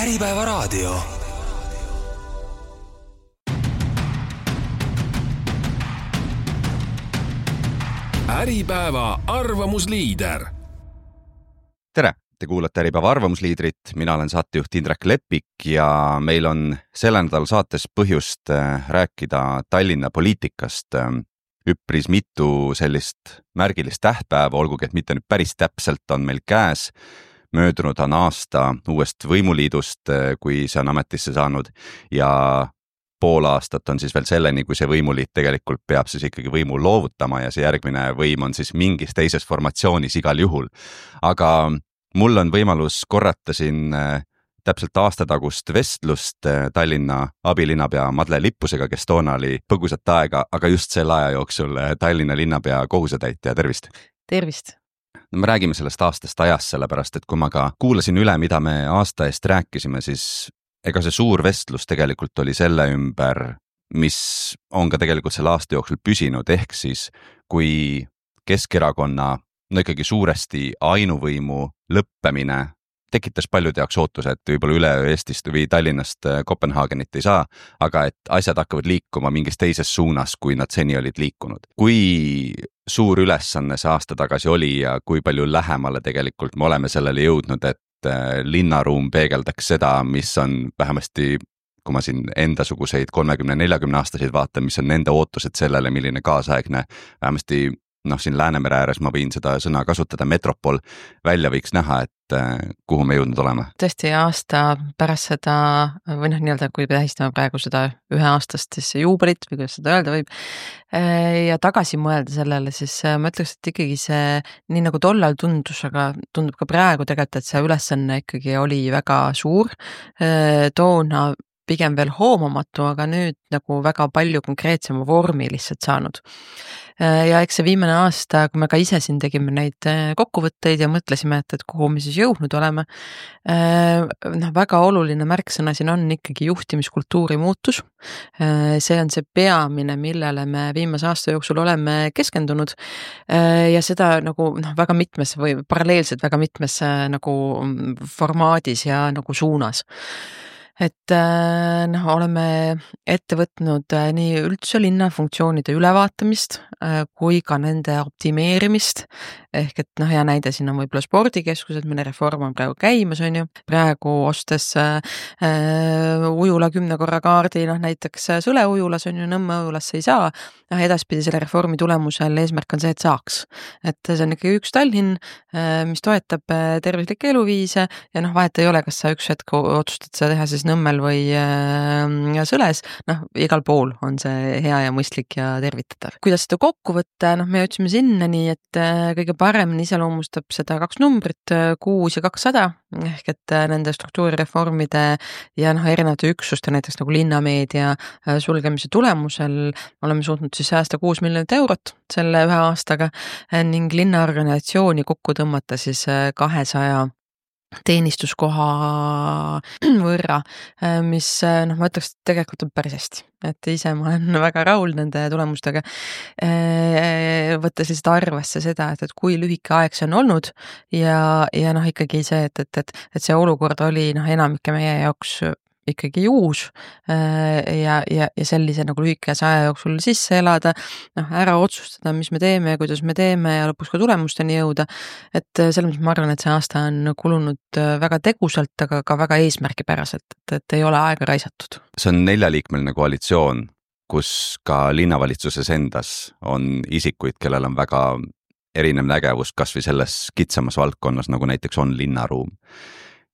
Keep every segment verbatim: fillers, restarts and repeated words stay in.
Äripäeva raadio. Äripäeva arvamusliider. Tere, te kuulate Äripäeva arvamusliidrit, mina olen saatejuht Indrek Lepik ja meil on selle nädal saates põhjust rääkida Tallinna poliitikast. Üpris mitu sellist märgilist tähtpäeva, olgugi et mitte nüüd päris täpselt on meil käes. Möödunud on aasta uuest võimuliidust, kui see on ametisse saanud ja pool aastat on siis veel selleni, kui see võimuliit tegelikult peab siis ikkagi võimu loovutama ja see järgmine võim on siis mingis teises formatsioonis igal juhul. Aga mul on võimalus korrata siin täpselt aastatagust vestlust Tallinna abilinnapea Madle Lippusega, kes toona oli põgusat aega, aga just selle aja jooksul Tallinna linnapea kohusetäitja. Tervist! Tervist! No, me räägime sellest aastast ajast, sellepärast et kui ma ka kuulasin üle, mida me aasta eest rääkisime, siis ega see suur vestlus tegelikult oli selle ümber, mis on ka tegelikult selle aasta jooksul püsinud, ehk siis kui Keskerakonna no ikkagi suuresti ainuvõimu lõppemine tekitas paljude jaoks ootuse, et võib-olla üleöö Eestist või Tallinnast Kopenhaagenit ei saa, aga et asjad hakkavad liikuma mingis teises suunas, kui nad seni olid liikunud. Kui suur ülesanne see aasta tagasi oli ja kui palju lähemale tegelikult me oleme sellele jõudnud, et linnaruum peegeldaks seda, mis on vähemasti, kui ma siin endasuguseid kolmekümne neljakümne aastaseid vaatan, mis on nende ootused sellele, milline kaasaegne vähemasti noh, siin Läänemere ääres ma võin seda sõna kasutada, metropol välja võiks näha, et kuhu me jõudnud oleme. Tõesti aasta pärast seda, või noh, nii-öelda, kui tähistame praegu seda üheaastast siis juubelit, või kuidas seda öelda võib, ja tagasi mõelda sellele, siis ma ütleks, et ikkagi see, nii nagu tollal tundus, aga tundub ka praegu tegelikult, et see ülesanne ikkagi oli väga suur, toona pigem veel hoomamatu, aga nüüd nagu väga palju konkreetsema vormi lihtsalt saanud. Ja eks see viimane aasta, kui me ka ise siin tegime neid kokkuvõtteid ja mõtlesime, et, et kuhu me siis jõudnud oleme, noh, väga oluline märksõna siin on ikkagi juhtimiskultuuri muutus. See on see peamine, millele me viimase aasta jooksul oleme keskendunud ja seda nagu noh, väga mitmes või paralleelselt väga mitmes nagu formaadis ja nagu suunas. Et noh, oleme ette võtnud nii üldse linna funktsioonide ülevaatamist kui ka nende optimeerimist, ehk et noh, hea näide siin on võib-olla spordikeskused, mille reform on praegu käimas, on ju. Praegu ostes äh, ujula kümne korra kaardi, noh näiteks Sõle ujulas on ju, Nõmme ujulasse ei saa, noh edaspidi selle reformi tulemusel eesmärk on see, et saaks. Et see on ikka üks Tallinn, mis toetab tervislikke eluviise ja noh, vahet ei ole, kas sa üks hetk otsustad seda teha siis Nõmmel või äh, Sõles, noh igal pool on see hea ja mõistlik ja tervitatav. Kuidas seda kokku võtta, noh me jõudsime sinna nii, et äh, kõige paremini iseloomustab seda kaks numbrit, kuus ja kakssada, ehk et äh, nende struktuurireformide ja noh erinevate üksuste, näiteks nagu linnameedia äh, sulgemise tulemusel oleme suutnud siis säästa kuus miljonit eurot selle ühe aastaga äh, ning linnaorganisatsiooni kokku tõmmata siis äh, kahesaja teenistuskoha võrra, mis noh, ma ütleks, tegelikult on päris hästi, et ise ma olen väga rahul nende tulemustega, võttes lihtsalt arvesse seda, et, et kui lühike aeg see on olnud ja, ja noh, ikkagi see, et, et, et, et see olukord oli noh, enamike meie jaoks ikkagi uus ja, ja, ja sellise nagu lühikese aja jooksul sisse elada, noh, ära otsustada, mis me teeme ja kuidas me teeme ja lõpuks ka tulemusteni jõuda, et selles mõttes ma arvan, et see aasta on kulunud väga tegusalt, aga ka väga eesmärgipäraselt, et, et ei ole aega raisatud. See on neljaliikmeline koalitsioon, kus ka linnavalitsuses endas on isikuid, kellel on väga erinev nägevus kas või selles kitsamas valdkonnas, nagu näiteks on linnaruum.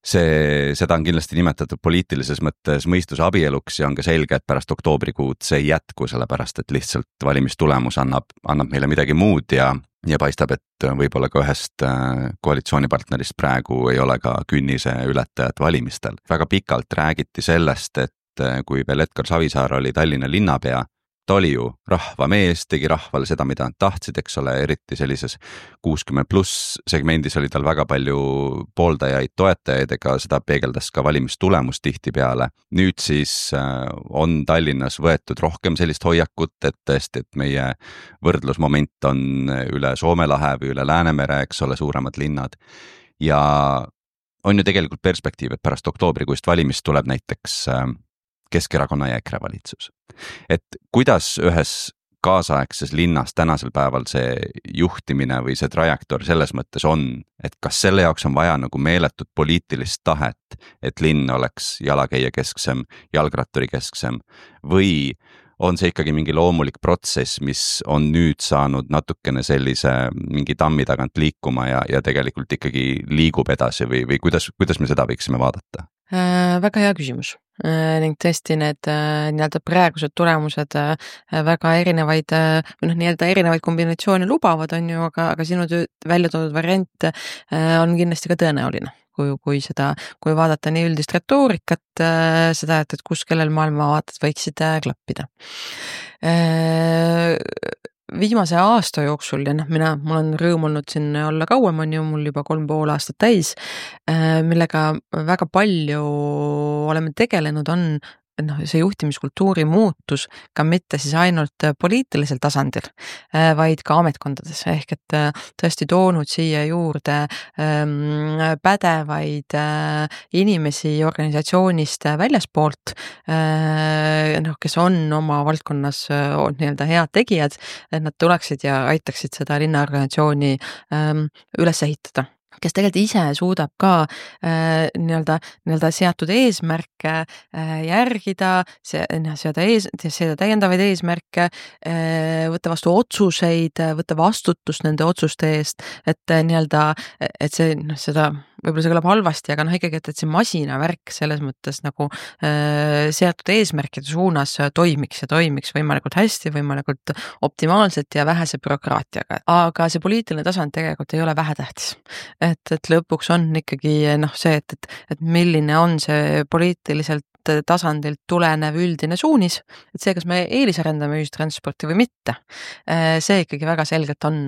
See, seda on kindlasti nimetatud poliitilises mõttes mõistuse abieluks ja on ka selge, et pärast oktoobrikuud see ei jätku, sellepärast et lihtsalt valimistulemus annab, annab meile midagi muud ja, ja paistab, et võib-olla ka ühest koalitsioonipartnerist praegu ei ole ka künnise ületajat valimistel. Väga pikalt räägiti sellest, et kui veel Edgar Savisaar oli Tallinna linnapea, ta oli ju rahvamees, tegi rahvale seda, mida nad tahtsid, eks ole, eriti sellises kuuskümmend pluss segmendis oli tal väga palju pooldajaid, toetajaid, ega seda peegeldas ka valimistulemus tihtipeale. Nüüd siis on Tallinnas võetud rohkem sellist hoiakut, et tõesti, et meie võrdlusmoment on üle Soome lahe või üle Läänemere, eks ole, suuremad linnad. Ja on ju tegelikult perspektiiv, et pärast oktoobrikuist valimist tuleb näiteks Keskerakonna ja EKRE valitsus. Et kuidas ühes kaasaegses linnas tänasel päeval see juhtimine või see trajektoor selles mõttes on, et kas selle jaoks on vaja nagu meeletut poliitilist tahet, et linn oleks jalakäija kesksem, jalgratturi kesksem või on see ikkagi mingi loomulik protsess, mis on nüüd saanud natukene sellise mingi tammi tagant liikuma ja, ja tegelikult ikkagi liigub edasi või, või kuidas, kuidas me seda võiksime vaadata? Äh, väga hea küsimus äh, ning tõesti need äh, nii-öelda praegused tulemused äh, väga erinevaid äh, või noh, nii-öelda erinevaid kombinatsioone lubavad, on ju, aga, aga sinu välja toodud variant äh, on kindlasti ka tõenäoline. Kui, kui seda, kui vaadata nii üldist retoorikat, äh, seda, et, et kus kellel maailmavaated võiksid äh, klappida. Äh, viimase aasta jooksul ja noh, mina, mul on rõõm olnud siin olla kauem, on ju, mul juba kolm pool aastat täis, millega väga palju oleme tegelenud, on noh, see juhtimiskultuuri muutus ka mitte siis ainult poliitilisel tasandil, vaid ka ametkondades, ehk et tõesti toonud siia juurde pädevaid inimesi organisatsioonist väljaspoolt, noh, kes on oma valdkonnas nii-öelda head tegijad, et nad tuleksid ja aitaksid seda linnaorganisatsiooni üles ehitada, kes tegelikult ise suudab ka äh, nii-öelda, nii-öelda seatud eesmärke äh, järgida, seada, ees, seada täiendavaid eesmärke, äh, võtta vastu otsuseid, võtta vastutust nende otsuste eest, et äh, nii-öelda, et see, noh, seda võib-olla see kõlab halvasti, aga noh, ikkagi, et, et see masinavärk selles mõttes nagu äh, seatud eesmärkide suunas toimiks ja toimiks võimalikult hästi, võimalikult optimaalselt ja vähese bürokraatiaga. Aga see poliitiline tasand tegelikult ei ole vähetähtis. Et, et lõpuks on ikkagi noh, see, et, et, et milline on see poliitiliselt tasandilt tulenev üldine suunis, et see, kas me eelisarendame ühistransporti või mitte, see ikkagi väga selgelt on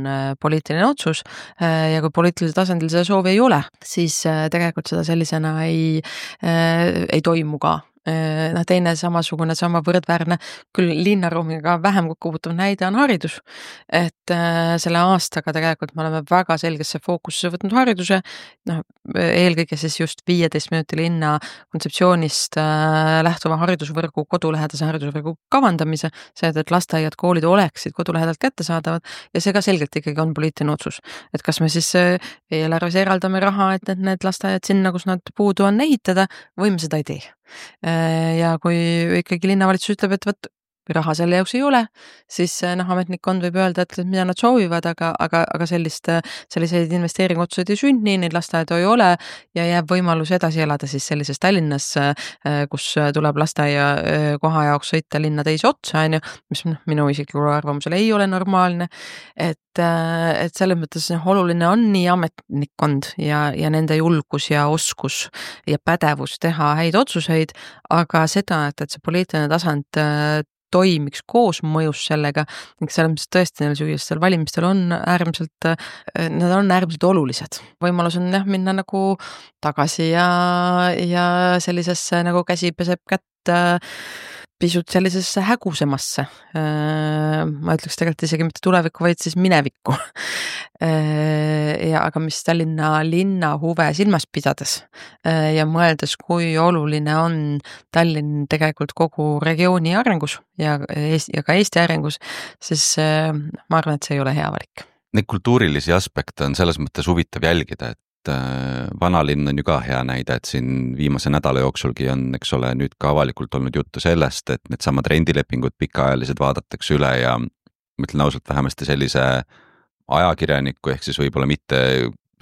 poliitiline otsus ja kui poliitilisel tasandil seda soovi ei ole, siis tegelikult seda sellisena ei, ei toimu ka. Noh, teine samasugune, sama võrdväärne, küll linnaruumiga vähem kokkupuutuv näide on haridus. Et äh, selle aastaga tegelikult me oleme väga selgesse fookusse võtnud hariduse, noh, eelkõige siis just viieteist minuti linna kontseptsioonist äh, lähtuva haridusvõrgu, kodulähedase haridusvõrgu kavandamise, see, et lasteaiad, koolid oleksid kodulähedalt kättesaadavad ja see ka selgelt ikkagi on poliitiline otsus. Et kas me siis äh, eelarves eraldame raha, et need, need lasteaiad sinna, kus nad puudu on, ehitada või me seda ei tee. Ja kui ikkagi linnavalitsus ütleb, et võt, raha selle jaoks ei ole, siis noh, ametnikkond võib öelda, et mida nad soovivad, aga, aga, aga sellist, selliseid investeeringutsuid ei sünni, neid lasteaedu ei ole ja jääb võimalus edasi elada siis sellises Tallinnas, kus tuleb lasteaia koha jaoks sõita linna teise otsa, on ju, mis noh, minu isiklikul arvamusel ei ole normaalne, et, et selles mõttes noh, oluline on nii ametnikkond ja, ja nende julgus ja oskus ja pädevus teha häid otsuseid, aga seda, et, et see poliitiline tasand toimiks koos mõjus sellega, ning selles mõttes tõesti neil sügistel valimistel on äärmiselt, nad on äärmiselt olulised. Võimalus on jah, minna nagu tagasi ja, ja sellisesse nagu käsi peseb kätt pisut sellisesse hägusemasse. Ma ütleks tegelikult isegi mitte tulevikku, vaid siis minevikku. Ja aga mis Tallinna linna huve silmas pidades ja mõeldes, kui oluline on Tallinn tegelikult kogu regiooni arengus ja, ja ka Eesti arengus, siis ma arvan, et see ei ole hea valik. Neid kultuurilisi aspekte on selles mõttes huvitav jälgida, et vanalinn on ju ka hea näide, et siin viimase nädala jooksulgi on, eks ole, nüüd ka avalikult olnud juttu sellest, et need samad rendilepingud pikaajalised vaadatakse üle ja mõtlen ausalt vähemasti sellise ajakirjaniku ehk siis võib-olla mitte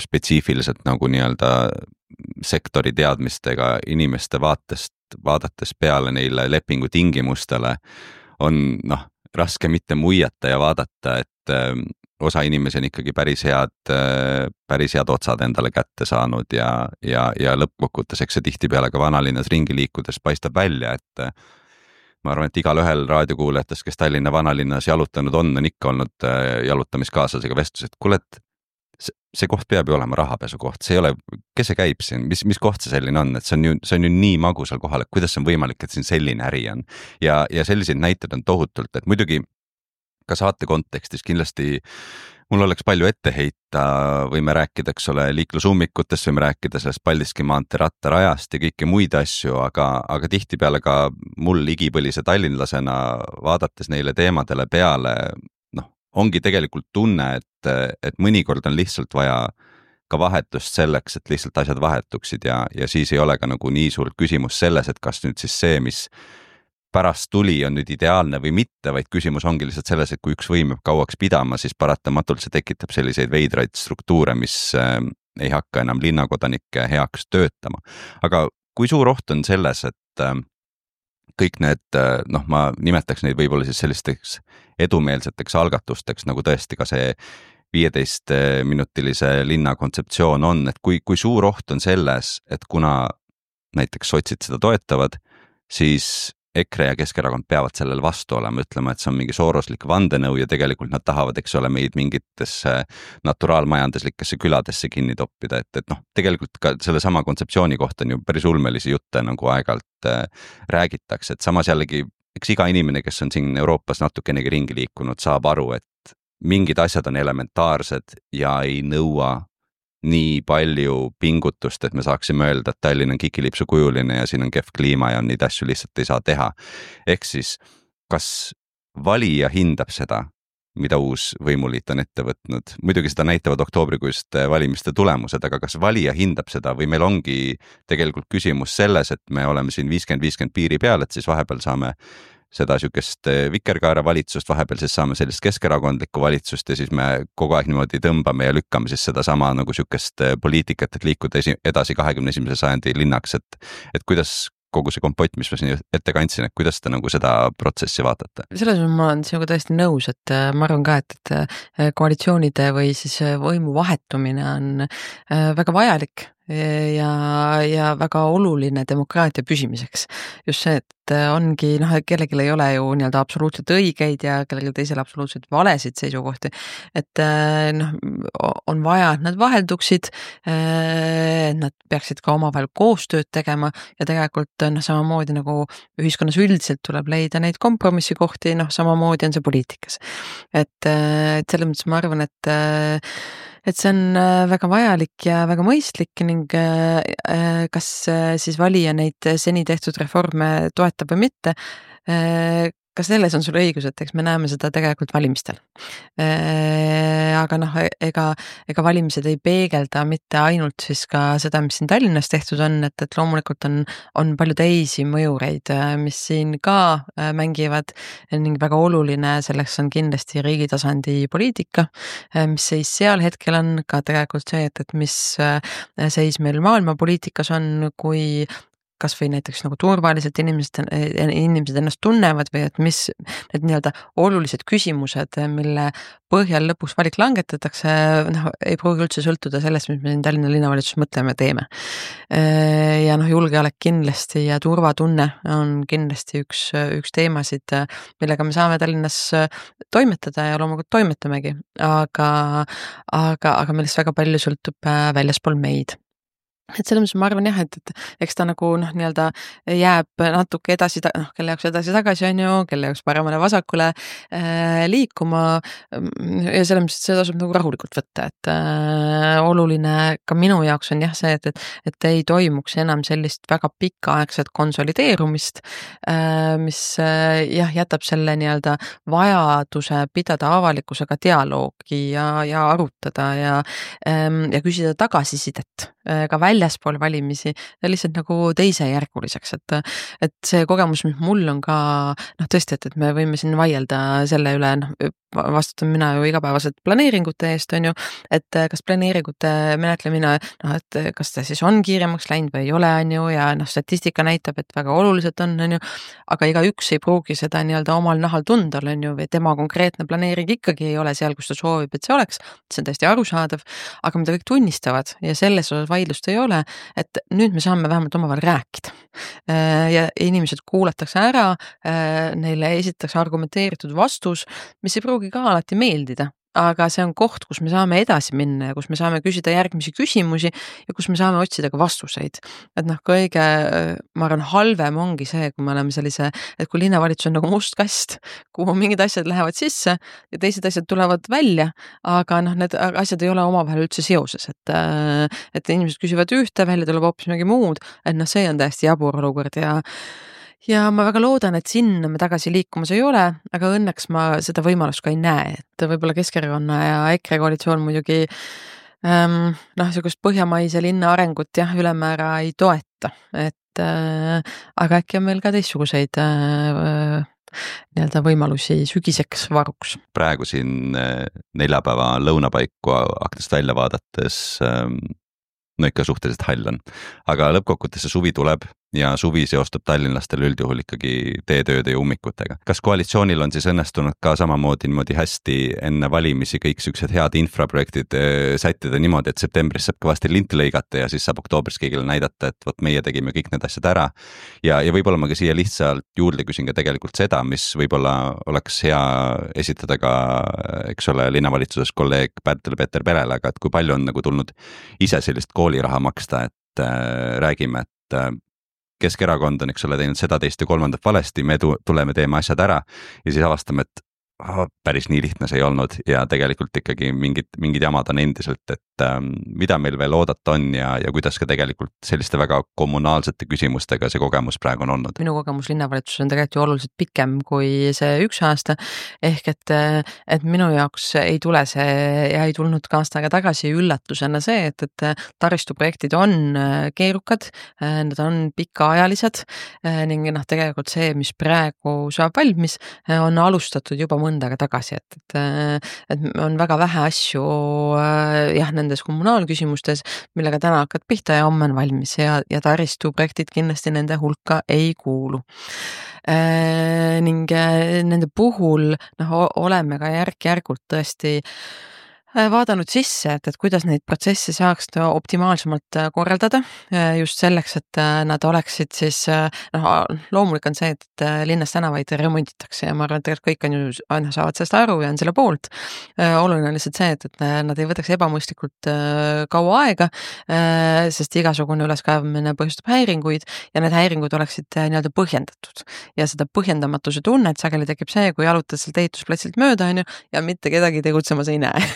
spetsiifiliselt nagu nii-öelda sektori teadmistega inimeste vaatest, vaadates peale neile lepingu tingimustele on noh, raske mitte muiata ja vaadata, et osa inimesi on ikkagi päris head, päris head otsad endale kätte saanud ja, ja, ja lõppkokkuvõttes, eks see tihtipeale ka vanalinnas ringi liikudes paistab välja, et ma arvan, et igal ühel raadiokuulajatest, kes Tallinna vanalinnas jalutanud on, on ikka olnud jalutamiskaaslasega vestlus, et kuule, et see koht peab ju olema rahapesu koht, see ei ole, kes see käib siin, mis, mis koht see selline on, et see on ju, see on ju nii magusal kohal, et kuidas see on võimalik, et siin selline äri on ja, ja selliseid näited on tohutult, et muidugi ka saate kontekstis kindlasti mul oleks palju ette heita, võime rääkida, eks ole, liiklusummikutest, võime rääkida sellest Paldiski maantee rattarajast ja kõiki muid asju, aga, aga tihtipeale ka mul igipõlise tallinlasena vaadates neile teemadele peale, noh, ongi tegelikult tunne, et, et mõnikord on lihtsalt vaja ka vahetust selleks, et lihtsalt asjad vahetuksid ja, ja siis ei ole ka nagu nii suurt küsimus selles, et kas nüüd siis see, mis pärast tuli on nüüd ideaalne või mitte, vaid küsimus ongi lihtsalt selles, et kui üks võim jääb kauaks pidama, siis paratamatult see tekitab selliseid veidraid struktuure, mis äh, ei hakka enam linnakodanike heaks töötama. Aga kui suur oht on selles, et äh, kõik need, äh, noh, ma nimetaks neid võib-olla siis sellisteks edumeelseteks algatusteks, nagu tõesti ka see viieteist minutilise linna kontseptsioon on, et kui, kui suur oht on selles, et kuna näiteks sotsid seda toetavad, siis EKRE ja Keskerakond peavad sellel vastu olema, ütlema, et see on mingi sooroslik vandenõu ja tegelikult nad tahavad, eks ole, meid mingitesse naturaalmajanduslikesse küladesse kinni toppida, et, et noh, tegelikult ka selle sama kontseptsiooni kohta on ju päris ulmelisi jutte nagu aeg-ajalt äh, räägitakse, et samas jällegi, eks iga inimene, kes on siin Euroopas natukenegi ringi liikunud, saab aru, et mingid asjad on elementaarsed ja ei nõua nii palju pingutust, et me saaksime öelda, et Tallinn on kikilipsu kujuline ja siin on kehv kliima ja neid asju lihtsalt ei saa teha. Ehk siis, kas valija hindab seda, mida uus võimuliit on ette võtnud? Muidugi seda näitavad oktoobrikuist valimiste tulemused, aga kas valija hindab seda või meil ongi tegelikult küsimus selles, et me oleme siin viiskümmend viiskümmend piiri peal, et siis vahepeal saame seda sükest vikerkaara valitsust, vahepeal siis saame sellist keskerakondlikku valitsust ja siis me kogu aeg niimoodi tõmbame ja lükkame siis seda sama nagu sükest poliitikat, et liikuda edasi kahekümne esimese sajandi linnaks, et, et kuidas kogu see kompott, mis ma siin ette kandsin, et kuidas te nagu seda protsessi vaatate? Selles mõttes ma olen sinuga täiesti nõus, et ma arvan ka, et, et koalitsioonide või siis võimu vahetumine on väga vajalik ja, ja väga oluline demokraatia püsimiseks. Just see, et ongi, noh, kellelgi ei ole ju nii-öelda absoluutselt õigeid ja kellelgi teisel absoluutselt valesid seisukohti. Et noh, on vaja, et nad vahelduksid, nad peaksid ka omavahel koostööd tegema ja tegelikult noh, samamoodi nagu ühiskonnas üldiselt tuleb leida neid kompromissikohti, noh, samamoodi on see poliitikas. Et, et selles mõttes ma arvan, et et see on väga vajalik ja väga mõistlik ning kas siis valija neid seni tehtud reforme toetab või mitte, ka selles on sul õigus, et eks me näeme seda tegelikult valimistel. Aga noh, ega, ega valimised ei peegelda mitte ainult siis ka seda, mis siin Tallinnas tehtud on, et, et loomulikult on, on palju teisi mõjureid, mis siin ka mängivad ning väga oluline selleks on kindlasti riigi tasandi poliitika, mis seis seal hetkel on ka tegelikult see, et, et mis seis meil maailma poliitikas on, kui kas või näiteks nagu turvaliselt inimesed, inimesed ennast tunnevad või et mis need nii-öelda olulised küsimused, mille põhjal lõpuks valik langetatakse, noh, ei pruugi üldse sõltuda sellest, mis me siin Tallinna linnavalitsus mõtleme ja teeme. Ja noh, julgeolek kindlasti ja turvatunne on kindlasti üks, üks teemasid, millega me saame Tallinnas toimetada ja loomulikult toimetamegi, aga, aga, aga millest väga palju sõltub väljaspool meid. Et selles mõttes ma arvan jah, et, et eks ta nagu noh, nii-öelda jääb natuke edasi, noh, kelle jaoks edasi tagasi on ju, kelle jaoks paremale vasakule äh, liikuma ja selles mõttes, et see tasub nagu rahulikult võtta, et äh, oluline ka minu jaoks on jah see, et, et, et ei toimuks enam sellist väga pikaaegset konsolideerumist, äh, mis äh, jah, jätab selle nii-öelda vajaduse pidada avalikkusega dialoogi ja, ja arutada ja, ähm, ja küsida tagasisidet äh, ka välja väljaspool valimisi lihtsalt nagu teisejärguliseks, et, et see kogemus, mis mul on ka, noh tõesti, et, et me võime siin vaielda selle üle, noh, vastutan mina ju igapäevaselt planeeringute eest, on ju, et kas planeeringute menetlemine, noh, et kas ta siis on kiiremaks läinud või ei ole, on ju, ja noh, statistika näitab, et väga oluliselt on, on ju, aga iga üks ei pruugi seda nii-öelda omal nahal tunda, on ju, või tema konkreetne planeering ikkagi ei ole seal, kus ta soovib, et see oleks, see on täiesti arusaadav, aga mida kõik tunnistavad ja selles osas vaidlust ei ole, et nüüd me saame vähemalt omavahel rääkida ja inimesed kuulatakse ära, neile esitatakse argumenteeritud vastus, mis ei pruugi ka alati meeldida, aga see on koht, kus me saame edasi minna ja kus me saame küsida järgmisi küsimusi ja kus me saame otsida ka vastuseid. Et noh, kõige, ma arvan, halvem ongi see, kui me oleme sellise, et kui linnavalitsus on nagu must kast, kuhu mingid asjad lähevad sisse ja teised asjad tulevad välja, aga noh, need asjad ei ole omavahel üldse seoses, et, et inimesed küsivad ühte, välja tuleb hoopis mingi muud, et noh, see on täiesti jabur olukord ja Ja ma väga loodan, et sinna me tagasi liikumas ei ole, aga õnneks ma seda võimalust ka ei näe, et võib-olla Keskerakonna ja EKRE koalitsioon muidugi ähm, noh, sellist põhjamaise linna arengut jah, ülemäära ei toeta, et äh, aga äkki on meil ka teistsuguseid äh, nii-öelda võimalusi sügiseks varuks. Praegu siin neljapäeva lõunapaiku aknast välja vaadates ähm, no ikka suhteliselt hall on, aga lõppkokkuvõttes see suvi tuleb ja suvi seostub tallinlastel üldjuhul ikkagi teetööde ja ummikutega. Kas koalitsioonil on siis õnnestunud ka samamoodi niimoodi hästi enne valimisi kõik sellised head infraprojektid sättida niimoodi, et septembris saab kõvasti linti lõigata ja siis saab oktoobris kõigile näidata, et võt meie tegime kõik need asjad ära. Ja, ja võib-olla ma ka siia lihtsalt juurde küsin ka tegelikult seda, mis võib-olla oleks hea esitada ka, eks ole, linnavalitsuses kolleeg Pärtel-Peeter Perele, aga et kui palju on nagu tulnud ise sellist kooliraha maksta, et äh, räägime, et äh, Keskerakond on, eks ole, teinud seda teist ja kolmandat valesti, me tuleme, teeme asjad ära ja siis avastame, et oh, päris nii lihtne see ei olnud ja tegelikult ikkagi mingid, mingid jamad on endiselt, et ähm, mida meil veel oodata on ja, ja kuidas ka tegelikult selliste väga kommunaalsete küsimustega see kogemus praegu on olnud. Minu kogemus linnavalitsus on tegelikult ju oluliselt pikem kui see üks aasta, ehk et, et minu jaoks ei tule see ja ei tulnud ka aastaga tagasi üllatusena see, et, et taristuprojektid on keerukad, nad on pikaajalised ning noh, tegelikult see, mis praegu saab valmis, on alustatud juba mõndaga tagasi, et, et, et on väga vähe asju jah, nendes kommunaalküsimustes, millega täna hakkad pihta ja homme on valmis ja, ja taristuprojektid kindlasti nende hulka ei kuulu. E, ning nende puhul noh, oleme ka järk-järgult tõesti vaadanud sisse, et, et kuidas neid protsesse saaks optimaalsemalt korraldada just selleks, et nad oleksid siis, noh, loomulik on see, et linnas tänavaid remonditakse ja ma arvan, et tegelikult kõik on ju, aina saavad sellest aru ja on selle poolt. Oluline on lihtsalt see, et, et nad ei võtaks ebamõistlikult kaua aega, sest igasugune üleskaevamine põhjustab häiringuid ja need häiringud oleksid nii-öelda põhjendatud. Ja seda põhjendamatuse tunnet sageli tekib see, kui jalutad sealt ehitusplatsilt mööda on ju, ja mitte kedagi tegutsemas ei näe.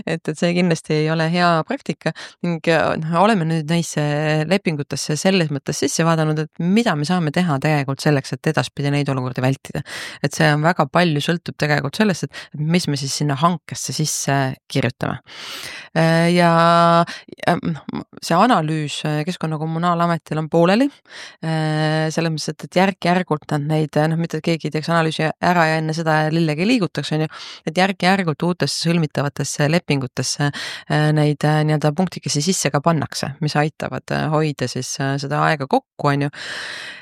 Et, et see kindlasti ei ole hea praktika ning no, oleme nüüd neisse lepingutesse selles mõttes sisse vaadanud, et mida me saame teha tegelikult selleks, et edaspidi neid olukordi vältida. Et see on väga palju sõltub tegelikult sellest, et, et mis me siis sinna hankesse sisse kirjutame. Ja, ja see analüüs Keskkonnakommunaalametil on pooleli, selles mõttes, et, et järk-järgult nad neid, noh, mitte keegi teeks analüüsi ära ja enne seda lillegi liigutaks, on ju, et järk-järgult uutesse sõlmitavatesse lepingutesse neid nii-öelda punktikesi sisse ka pannakse, mis aitavad hoida siis seda aega kokku, on ju.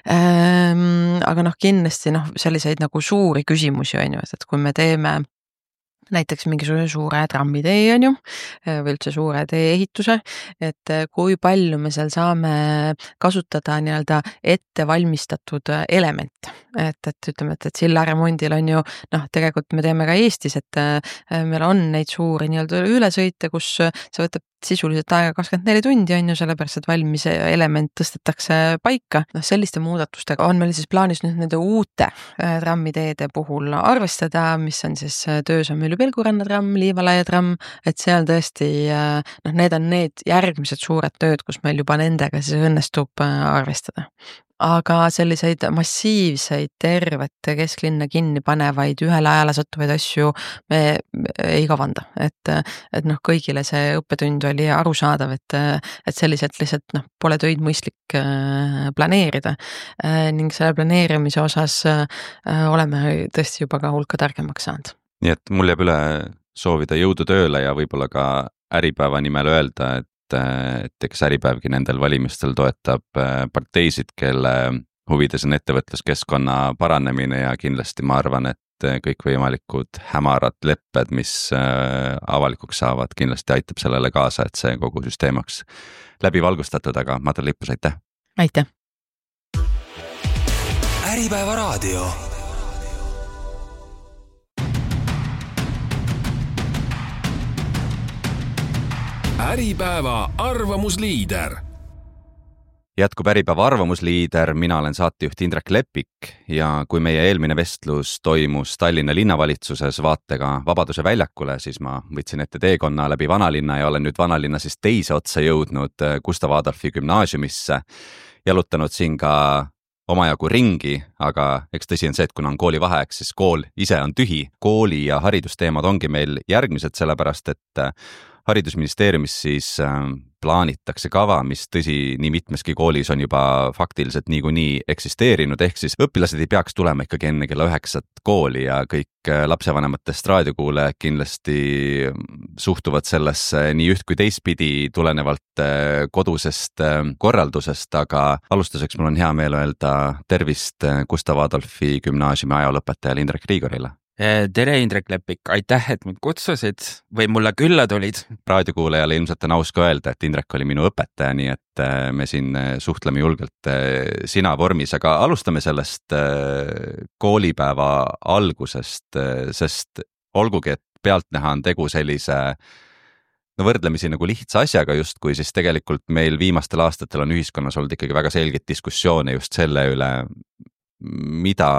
Aga noh, kindlasti noh, selliseid nagu suuri küsimusi on ju, et kui me teeme näiteks mingisugune suure trammitee on ju, või üldse suure tee ehituse, et kui palju me seal saame kasutada nii-öelda ette valmistatud elemente. Et, et ütleme, et, et silla remondil on ju, noh, tegelikult me teeme ka Eestis, et meil on neid suuri nii-öelda ülesõite, kus see võtab sisuliselt aega kakskümmend neli tundi on ju, sellepärast, et valmis element tõstetakse paika. No, selliste muudatustega on meil siis plaanis nüüd nende uute trammiteede puhul arvestada, mis on siis töös on meil Pelguranna tramm, Liivalaia tramm, et seal tõesti, noh, need on need järgmised suured tööd, kus meil juba nendega siis õnnestub arvestada. Aga selliseid massiivseid tervete kesklinna kinni panevaid ühele ajale sattuvaid asju me ei kavanda, et, et noh, kõigile see õppetund oli arusaadav, et, et selliselt lihtsalt noh, pole töid mõistlik planeerida ning selle planeerimise osas oleme tõesti juba ka hulka targemaks saanud. Nii et mul jääb üle soovida jõudu tööle ja võib-olla ka Äripäeva nimel öelda, et et eks Äripäevgi nendel valimistel toetab parteisid, kelle huvides on ettevõtluskeskkonna paranemine ja kindlasti ma arvan, et kõikvõimalikud hämarad lepped, mis avalikuks saavad, kindlasti aitab sellele kaasa, et see kogu süsteemaks läbi valgustatud, aga Madra Lippus, aitäh! Aitäh! Äripäeva raadio. Äripäeva arvamusliider. Jätkub Äripäeva arvamusliider, mina olen saatejuht Indrek Lepik ja kui meie eelmine vestlus toimus Tallinna linnavalitsuses vaatega Vabaduse väljakule, siis ma võtsin ette teekonna läbi vanalinna ja olen nüüd vanalinna siis teise otsa jõudnud Gustav Adolfi gümnaasiumisse, jalutanud siin ka omajagu ringi, aga eks tõsi on see, et kuna on kooli vaheaeg, siis kool ise on tühi. Kooli ja haridusteemad ongi meil järgmised, sellepärast et haridusministeeriumis siis plaanitakse kava, mis tõsi nii mitmeski koolis on juba faktiliselt niikuinii eksisteerinud, ehk siis õpilased ei peaks tulema ikkagi enne kella üheksat kooli ja kõik lapsevanematest raadiokuulajad kindlasti suhtuvad sellesse nii üht kui teistpidi tulenevalt kodusest korraldusest, aga alustuseks mul on hea meel öelda tervist Gustav Adolfi gümnaasiumi ajalooõpetajale Indrek Riigorile. Tere Indrek Lepik, aitäh, et mind kutsusid või mulle külla tulid. Raadiokuulajale ilmselt on aus ka öelda, et Indrek oli minu õpetaja, nii et me siin suhtleme julgelt sina vormis, aga alustame sellest koolipäeva algusest, sest olgugi, et pealtnäha on tegu sellise no võrdlemisi nagu lihtsa asjaga justkui, siis tegelikult meil viimastel aastatel on ühiskonnas olnud ikkagi väga selgeid diskussioone just selle üle, mida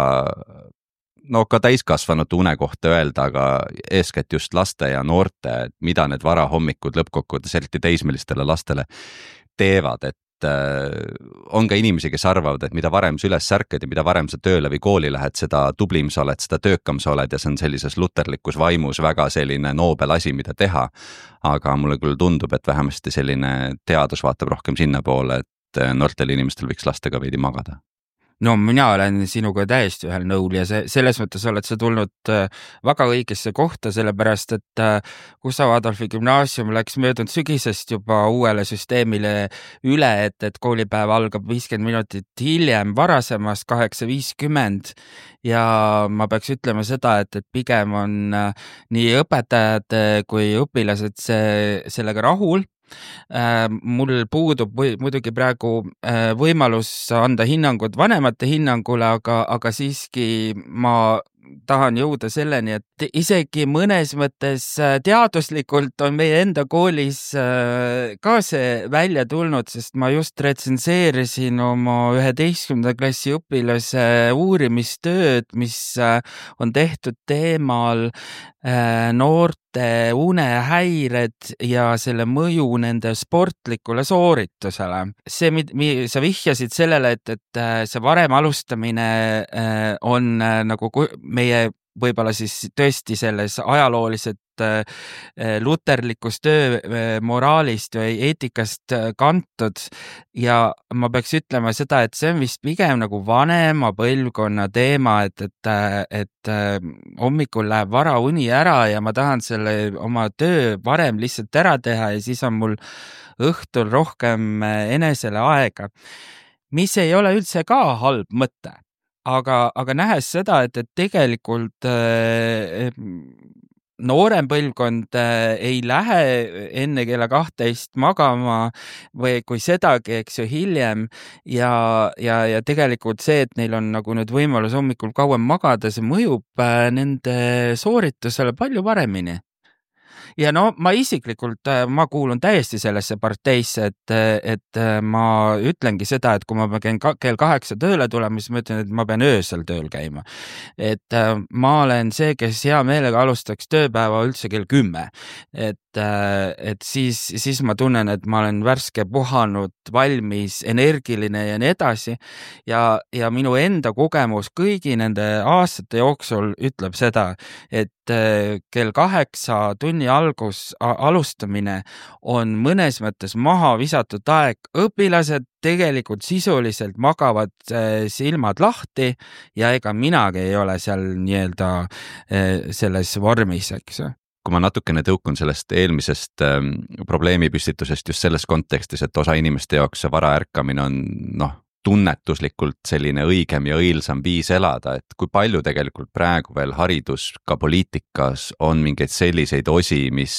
no ka täiskasvanute une kohta öelda, aga eeskätt just laste ja noorte, mida need varahommikud lõppkokkuvõttes eriti teismelistele lastele teevad, et on ka inimesi, kes arvavad, et mida varem sa üles särkad ja mida varem sa tööle või kooli lähed, seda tublim sa oled, seda töökam sa oled ja see on sellises luterlikus vaimus väga selline noobel asi, mida teha. Aga mulle küll tundub, et vähemasti selline teadus vaatab rohkem sinna poole, et noortel inimestel võiks lastega veidi magada. No mina olen sinuga täiesti ühel nõul ja see, selles mõttes oled sa tulnud väga õigesse kohta, sellepärast et Gustav Adolfi gümnaasium läks möödunud sügisest juba uuele süsteemile üle, et, et koolipäev algab viiskümmend minutit hiljem varasemast kaheksa viiskümmend ja ma peaks ütlema seda, et, et pigem on nii õpetajad kui õpilased see, sellega rahul. Mul puudub või, muidugi praegu võimalus anda hinnangud vanemate hinnangule, aga, aga siiski ma tahan jõuda selleni, et isegi mõnes mõttes teaduslikult on meie enda koolis ka see välja tulnud, sest ma just retsenseerisin oma üheteistkümnenda klassi õpilase uurimistööd, mis on tehtud teemal noorte unehäired ja selle mõju nende sportlikule sooritusele. See, mida sa vihjasid sellele, et, et see varem alustamine on nagu meie võib-olla siis tõesti selles ajalooliselt luterlikus töö moraalist või eetikast kantud ja ma peaks ütlema seda, et see on vist pigem nagu vanema põlvkonna teema, et, et, et hommikul läheb vara uni ära ja ma tahan selle oma töö varem lihtsalt ära teha ja siis on mul õhtul rohkem enesele aega, mis ei ole üldse ka halb mõte. Aga, aga nähes seda, et, et tegelikult äh, noorem põlvkond äh, ei lähe enne kella kahtteist magama või kui sedagi, eks ju, hiljem ja, ja, ja tegelikult see, et neil on nagu nüüd võimalus hommikul kauem magada, see mõjub äh, nende sooritusele palju paremini. Ja no ma isiklikult, ma kuulun täiesti sellesse parteisse, et, et ma ütlengi seda, et kui ma pean kell kaheksa tööle tulema, siis ma ütlen, et ma pean öösel tööl käima. Et ma olen see, kes hea meelega alustaks tööpäeva üldse kell kümme. Et, et siis, siis ma tunnen, et ma olen värske puhanud, valmis, energiline ja nii edasi. Ja, ja minu enda kogemus kõigi nende aastate jooksul ütleb seda, et kell kaheksa tunni algus, alustamine on mõnes mõttes maha visatud aeg. Õpilased tegelikult sisuliselt magavad silmad lahti ja ega minagi ei ole seal nii-öelda selles vormis, eks. Kui ma natukene tõukun sellest eelmisest ähm, probleemipüstitusest just selles kontekstis, et osa inimeste jaoks see vara ärkamine on noh, tunnetuslikult selline õigem ja õilsam viis elada, et kui palju tegelikult praegu veel haridus ka poliitikas on mingeid selliseid osi, mis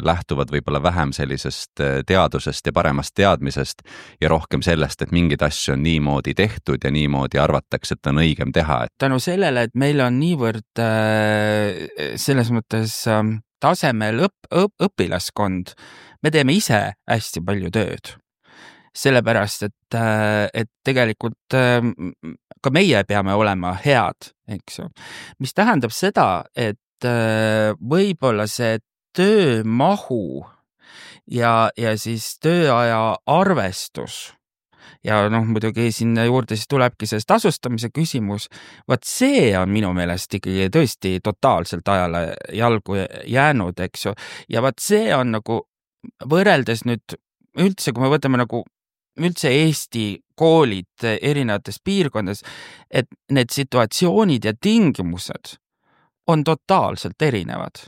lähtuvad võib-olla vähem sellisest teadusest ja paremast teadmisest ja rohkem sellest, et mingid asju on niimoodi tehtud ja niimoodi arvatakse, et on õigem teha. Tänu sellele, et meil on niivõrd selles mõttes tasemel õp- õp- õpilaskond, me teeme ise hästi palju tööd. Sellepärast, et, et tegelikult ka meie peame olema head, eks ju. Mis tähendab seda, et võib-olla see töömahu ja, ja siis tööaja arvestus ja noh, muidugi sinna juurde siis tulebki sellest tasustamise küsimus. Vaat see on minu meelest ikkagi tõesti totaalselt ajale jalgu jäänud, eks ju. Ja vaat see on nagu võrreldes nüüd üldse, kui me võtame nagu üldse Eesti koolid erinevates piirkondades, et need situatsioonid ja tingimused on totaalselt erinevad.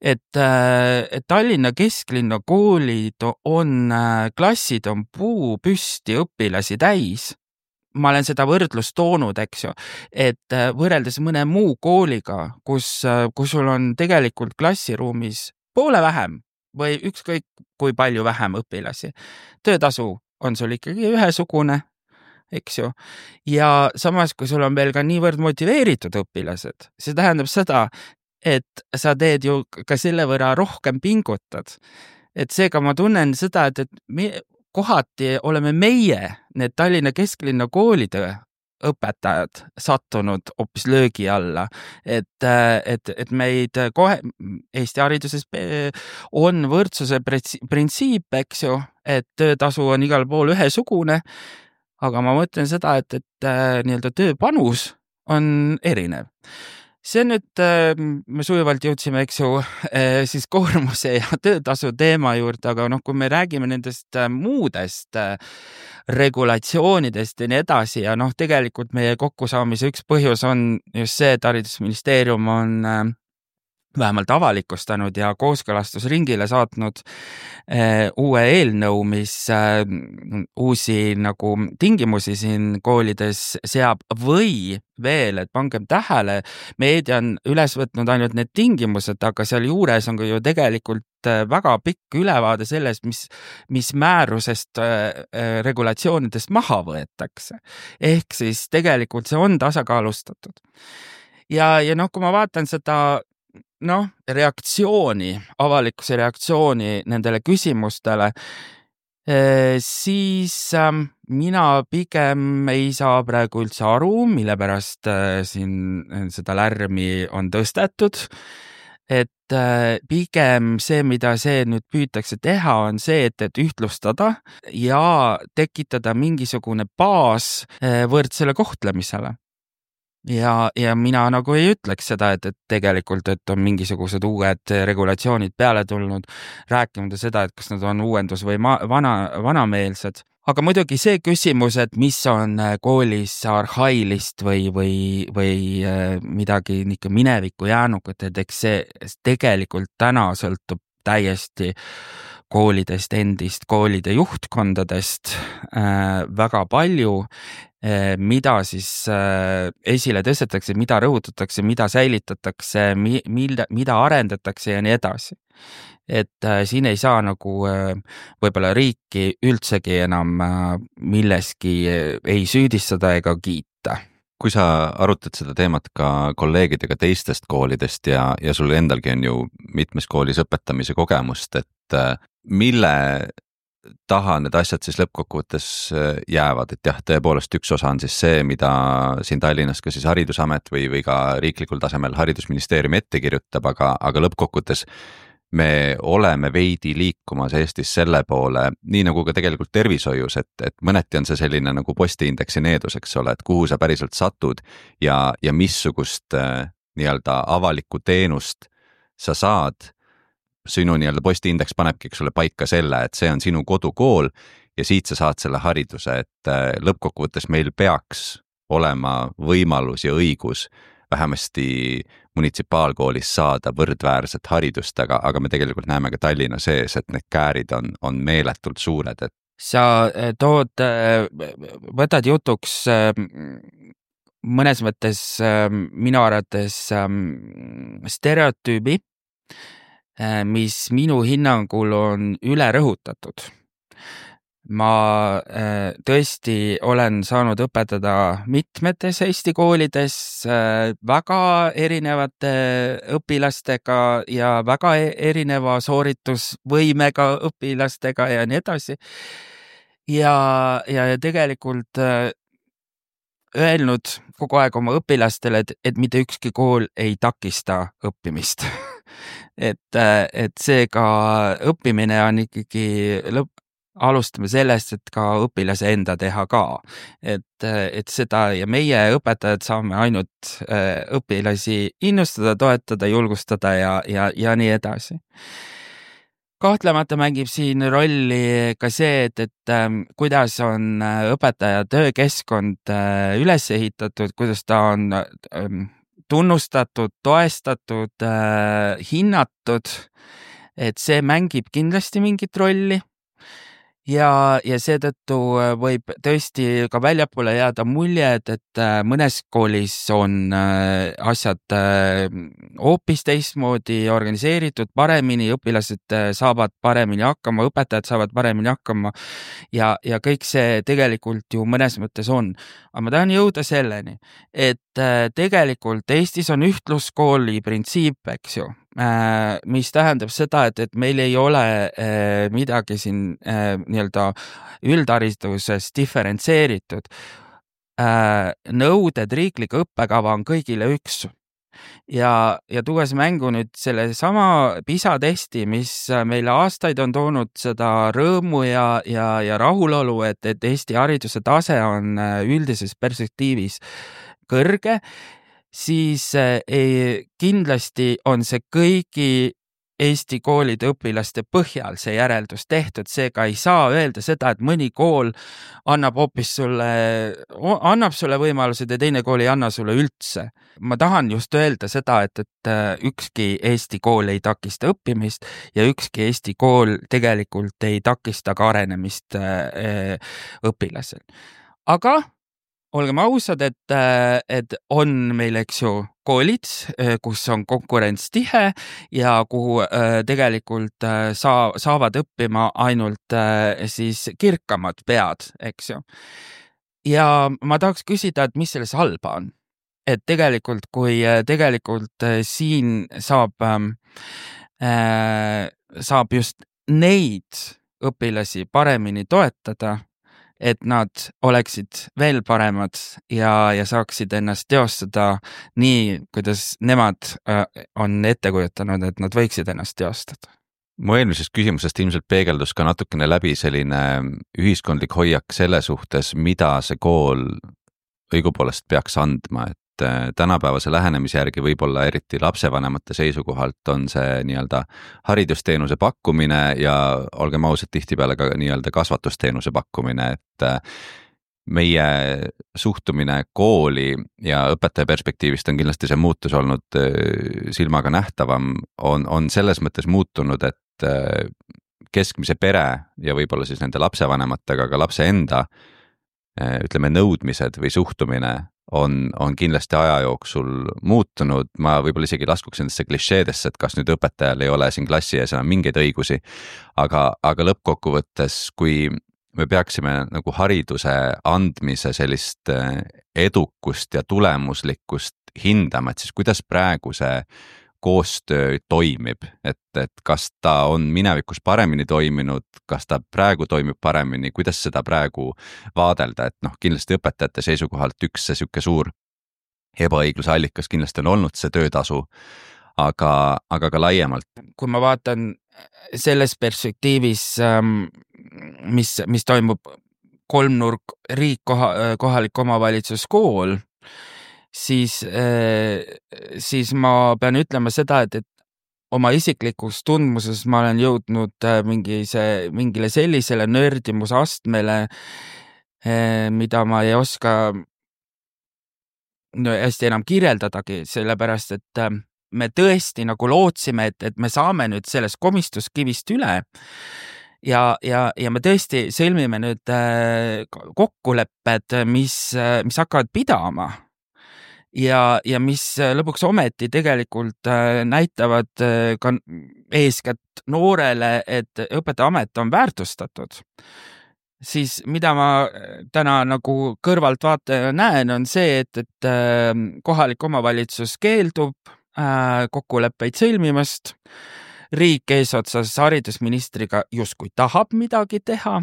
Et, et Tallinna kesklinna koolid on, klassid on puu püsti õpilasi täis. Ma olen seda võrdlust toonud, eks ju, et võrreldes mõne muu kooliga, kus, kus sul on tegelikult klassiruumis poole vähem või ükskõik kui palju vähem õpilasi. Töötasu on sul ikkagi ühesugune, eks ju. Ja samas, kui sul on veel ka niivõrd motiveeritud õpilased, see tähendab seda, et sa teed ju ka selle võrra rohkem pingutad. Et seega ma tunnen seda, et, et me, kohati oleme meie, need Tallinna kesklinna koolide õpetajad sattunud hoopis löögi alla, et, et, et meid kohe Eesti hariduses on võrdsuse printsiip, eks ju, et töötasu on igal pool ühesugune, aga ma mõtlen seda, et, et nii-öelda tööpanus on erinev. See nüüd, me sujuvalt jõudsime, eks ju, siis koormuse ja töötasu teema juurde, aga noh, kui me räägime nendest muudest regulatsioonidest ja nii edasi ja noh, tegelikult meie kokkusaamise üks põhjus on just see, et haridusministeerium on vähemalt avalikustanud ja kooskõlastusringile saatnud eh, uue eelnõu, mis eh, uusi nagu tingimusi siin koolides seab või veel, et pangem tähele, meedia on üles võtnud ainult need tingimused, aga seal juures on ju tegelikult väga pikk ülevaade sellest, mis, mis määrusest eh, regulatsioonidest maha võetakse. Ehk siis tegelikult see on tasakaalustatud. Ja, ja noh, kui ma vaatan seda noh, reaktsiooni, avalikkuse reaktsiooni nendele küsimustele, siis mina pigem ei saa praegu üldse aru, mille pärast siin seda lärmi on tõstetud. Et pigem see, mida see nüüd püütakse teha, on see, et, et ühtlustada ja tekitada mingisugune baas võrdsele kohtlemisele. Ja, ja mina nagu ei ütleks seda, et, et tegelikult, et on mingisugused uued regulatsioonid peale tulnud, rääkimata seda, et kas nad on uuendus või ma, vana, vanameelsed. Aga muidugi see küsimus, et mis on koolis arhailist või, või, või midagi niisugune minevikku jäänukut, et eks see tegelikult täna sõltub täiesti koolidest endist, koolide juhtkondadest äh, väga palju, äh, mida siis äh, esile tõstetakse, mida rõhutatakse, mida säilitatakse, mi, mida, mida arendatakse ja nii edasi. Et äh, siin ei saa nagu äh, võib-olla riiki üldsegi enam äh, milleski äh, ei süüdistada ega kiita. Kui sa arutad seda teemat ka kolleegidega teistest koolidest ja, ja sul endalgi on ju mitmes koolis õpetamise kogemust, et mille taha need asjad siis lõppkokkuvõttes jäävad, et jah, tõepoolest üks osa on siis see, mida siin Tallinnas ka siis Haridusamet või, või ka riiklikul tasemel haridusministeerium ette kirjutab, aga, aga lõppkokkuvõttes me oleme veidi liikumas Eestis selle poole, nii nagu ka tegelikult tervishoius, et, et mõneti on see selline nagu postiindeksi needus, eks ole, et kuhu sa päriselt satud ja, ja missugust äh, nii-öelda avalikku teenust sa saad. Sinu nii-öelda postiindeks panebki sulle paika selle, et see on sinu kodukool ja siit sa saad selle hariduse, et äh, lõppkokkuvõttes meil peaks olema võimalus ja õigus vähemasti munitsipaalkoolis saada võrdväärset haridust, aga, aga me tegelikult näeme ka Tallinna sees, et need käärid on, on meeletult suured. Et... Sa tood, võtad jutuks mõnes mõttes minu arvates stereotüübi, mis minu hinnangul on üle rõhutatud. ma äh, tõesti olen saanud õpetada mitmetes Eesti koolides äh, väga erinevate õpilastega ja väga erineva sooritusvõimega õpilastega ja nii edasi. Ja, ja, ja tegelikult äh, öelnud kogu aeg oma õpilastele, et, et mitte ükski kool ei takista õppimist. et, et seega õppimine on ikkagi lõpp, alustame sellest, et ka õpilase enda teha ka. Et, et seda ja meie õpetajad saame ainult õpilasi innustada, toetada, julgustada ja, ja, ja nii edasi. Kahtlemata mängib siin rolli ka see, et, et ähm, kuidas on õpetaja töökeskkond äh, üles ehitatud, kuidas ta on ähm, tunnustatud, toestatud, äh, hinnatud, et see mängib kindlasti mingit rolli. Ja, ja seetõttu võib tõesti ka väljapoole jääda mulje, et, et mõnes koolis on asjad hoopis teistmoodi organiseeritud, paremini, õpilased saavad paremini hakkama, õpetajad saavad paremini hakkama ja, ja kõik see tegelikult ju mõnes mõttes on. Aga ma tahan jõuda selleni, et tegelikult Eestis on ühtluskooli printsiip, eks ju, mis tähendab seda, et, et meil ei ole eh, midagi siin eh, nii-öelda üldhariduses diferentseeritud. Eh, nõuded riiklik õppekava on kõigile üks. Ja, ja tuues mängu nüüd selle sama PISA testi, mis meile aastaid on toonud seda rõõmu ja, ja, ja rahulolu, et, et Eesti hariduse tase on üldises perspektiivis kõrge, siis ei, kindlasti on see kõigi Eesti koolide õpilaste põhjal see järeldus tehtud, seega ei saa öelda seda, et mõni kool annab hoopis sulle, annab sulle võimalused ja teine kool ei anna sulle üldse. Ma tahan just öelda seda, et, et ükski Eesti kool ei takista õppimist ja ükski Eesti kool tegelikult ei takista ka arenemist õpilasel. Aga olgem ausad, et, et on meil, eks ju, koolid, kus on konkurents tihe ja kuhu tegelikult saa, saavad õppima ainult siis kirkamad pead, eks ju. Ja ma tahaks küsida, et mis selles halba on? Et tegelikult, kui tegelikult siin saab, äh, saab just neid õpilasi paremini toetada, et nad oleksid veel paremad ja, ja saaksid ennast teostada nii, kuidas nemad on ette kujutanud, et nad võiksid ennast teostada. Mu eelmisest küsimusest ilmselt peegeldus ka natukene läbi selline ühiskondlik hoiak selle suhtes, mida see kool õigupoolest peaks andma, et tänapäevase lähenemise järgi võib-olla eriti lapsevanemate seisukohalt on see nii-öelda haridusteenuse pakkumine ja olgem ausad, tihtipeale ka nii-öelda kasvatusteenuse pakkumine, et meie suhtumine kooli ja õpetaja perspektiivist on kindlasti see muutus olnud silmaga nähtavam, on, on selles mõttes muutunud, et keskmise pere ja võib-olla siis nende lapsevanematega ka lapse enda ütleme nõudmised või suhtumine on, on kindlasti aja jooksul muutunud. Ma võib-olla isegi laskuks nendesse klišeedesse, et kas nüüd õpetajal ei ole siin klassi ees enam mingeid õigusi, aga, aga lõppkokkuvõttes, kui me peaksime nagu hariduse andmise sellist edukust ja tulemuslikkust hindama, et siis kuidas praegu see koostöö toimib, et, et kas ta on minevikus paremini toiminud, kas ta praegu toimib paremini, kuidas seda praegu vaadelda, et noh, kindlasti õpetajate seisukohalt üks see süke suur ebaõigluse allikas kindlasti on olnud see töötasu, aga, aga ka laiemalt. Kui ma vaatan selles perspektiivis, mis, mis toimub kolmnurk riik, koha, kohalik omavalitsus, kool, siis, siis ma pean ütlema seda, et, et oma isiklikus tundmuses ma olen jõudnud mingi see, mingile sellisele nördimuse astmele, mida ma ei oska no, hästi enam kirjeldadagi, sellepärast, et me tõesti nagu lootsime, et, et me saame nüüd sellest komistuskivist üle ja, ja, ja me tõesti sõlmime nüüd kokkulepped, mis, mis hakkavad pidama. Ja, ja mis lõpuks ometi tegelikult näitavad ka eeskätt noorele, et õpetajaamet on väärtustatud. siis mida ma täna nagu kõrvalt vaataja näen, on see, et, et kohalik omavalitsus keeldub kokkuleppeid sõlmimast, riik eesotsas haridusministriga justkui tahab midagi teha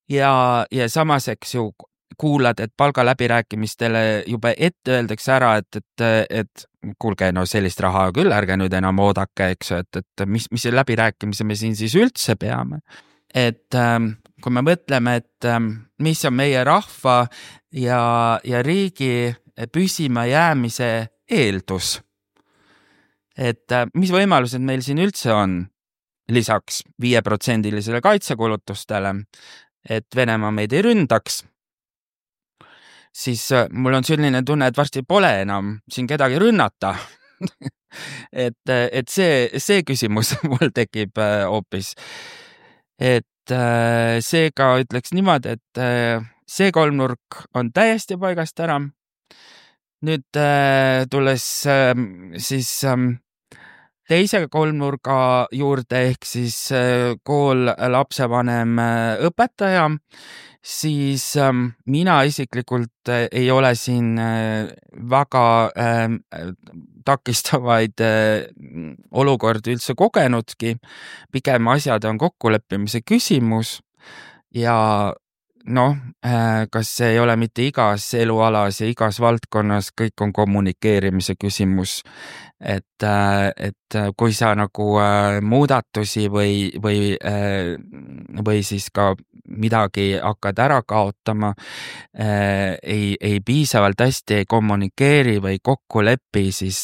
ja, ja samas, eks ju, kuulad, et palgaläbirääkimistele juba ette öeldakse ära, et, et, et kuulge, no sellist raha küll, ärge nüüd enam oodake, eks ju, et, et mis, mis läbirääkimise me siin siis üldse peame. Et kui me mõtleme, et mis on meie rahva ja, ja riigi püsima jäämise eeldus, et mis võimalused meil siin üldse on lisaks viieprotsendilisele kaitsekulutustele, et Venemaa meid ei ründaks, siis mul on selline tunne, et varsti pole enam siin kedagi rünnata. et, et see, see küsimus mul tekib hoopis. Et seega ütleks niimoodi, et see kolmnurk on täiesti paigast ära. Nüüd tulles siis teise kolmnurga juurde ehk siis kool, lapsevanem, õpetaja, siis mina isiklikult ei ole siin väga takistavaid olukordi üldse kogenudki. Pigem asjad on kokkuleppimise küsimus ja noh, kas see ei ole mitte igas elualas ja igas valdkonnas, kõik on kommunikeerimise küsimus, et, et kui sa nagu muudatusi või, või, või siis ka midagi hakkad ära kaotama, ei, ei piisavalt hästi ei kommunikeeri või kokku lepi, siis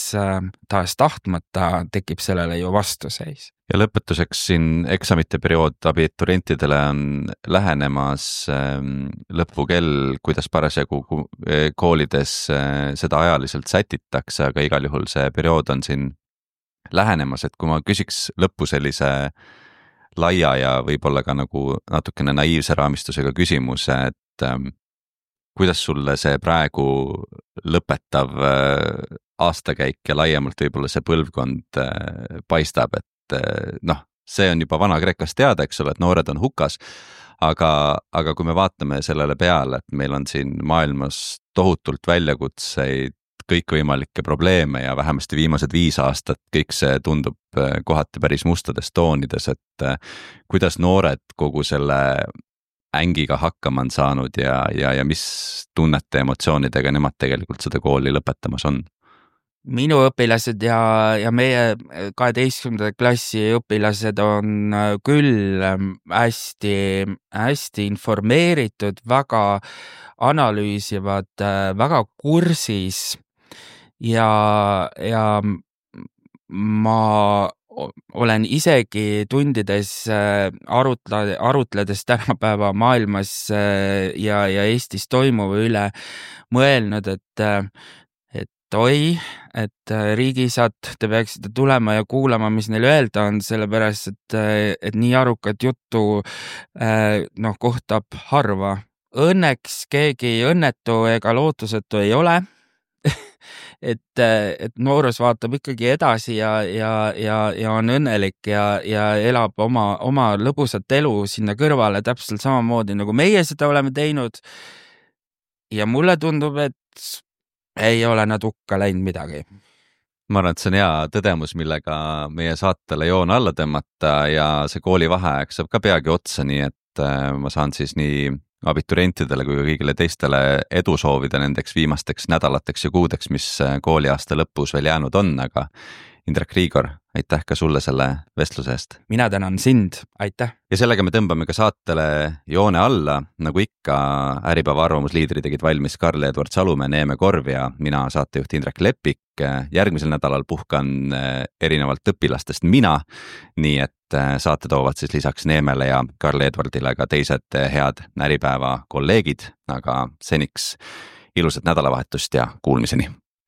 taas tahtmata tekib sellele ju vastuseis. Ja lõpetuseks siin eksamite periood abiturientidele on lähenemas lõpukell, kuidas parasjagu koolides seda ajaliselt sätitakse, aga igal juhul see periood on siin lähenemas, et kui ma küsiks lõppu sellise laia ja võib-olla ka nagu natukene naiivse raamistusega küsimuse, et kuidas sulle see praegu lõpetav aastakäik ja laiemalt võib-olla see põlvkond paistab, et noh, see on juba Vana-Kreekast teada, eks ole, et noored on hukas, aga, aga kui me vaatame sellele peale, et meil on siin maailmas tohutult väljakutseid, kõikvõimalikke probleeme ja vähemasti viimased viis aastat kõik see tundub kohati päris mustades toonides, et kuidas noored kogu selle ängiga hakkama on saanud ja, ja, ja mis tunnete, emotsioonidega nemad tegelikult seda kooli lõpetamas on? Minu õpilased ja, ja meie kaheteistkümnenda klassi õpilased on küll hästi, hästi informeeritud, väga analüüsivad, väga kursis ja, ja ma olen isegi tundides arutle, arutledes tänapäeva maailmas ja, ja Eestis toimuva üle mõelnud, et oi, et riigisad, te peaksite tulema ja kuulama, mis neil öelda on, sellepärast, et, et nii arukat juttu noh, kohtab harva. Õnneks keegi õnnetu ega lootusetu ei ole, et, et noorus vaatab ikkagi edasi ja, ja, ja, ja on õnnelik ja, ja elab oma, oma lõbusat elu sinna kõrvale täpselt samamoodi, nagu meie seda oleme teinud. Ja mulle tundub, et ei ole nad hukka läinud midagi. Ma arvan, et see on hea tõdemus, millega meie saatele joon alla tõmmata ja see koolivaheaeg saab ka peagi otsa, nii et ma saan siis nii abiturientidele kui ka kõigile teistele edu soovida nendeks viimasteks nädalateks ja kuudeks, mis kooliaasta lõpus veel jäänud on, aga Indrek Riigor, aitäh ka sulle selle vestluse eest. Mina tänan sind, aitäh. Ja sellega me tõmbame ka saatele joone alla, nagu ikka Äripäeva arvamusliidri tegid valmis Karl-Edward Salumäe, Neeme Korv ja mina saatejuht Indrek Lepik. Järgmisel nädalal puhkan erinevalt õpilastest mina, nii et saate toovad siis lisaks Neemele ja Karl-Edwardile ka teised head Äripäeva kolleegid, aga seniks ilusat nädalavahetust ja kuulmiseni.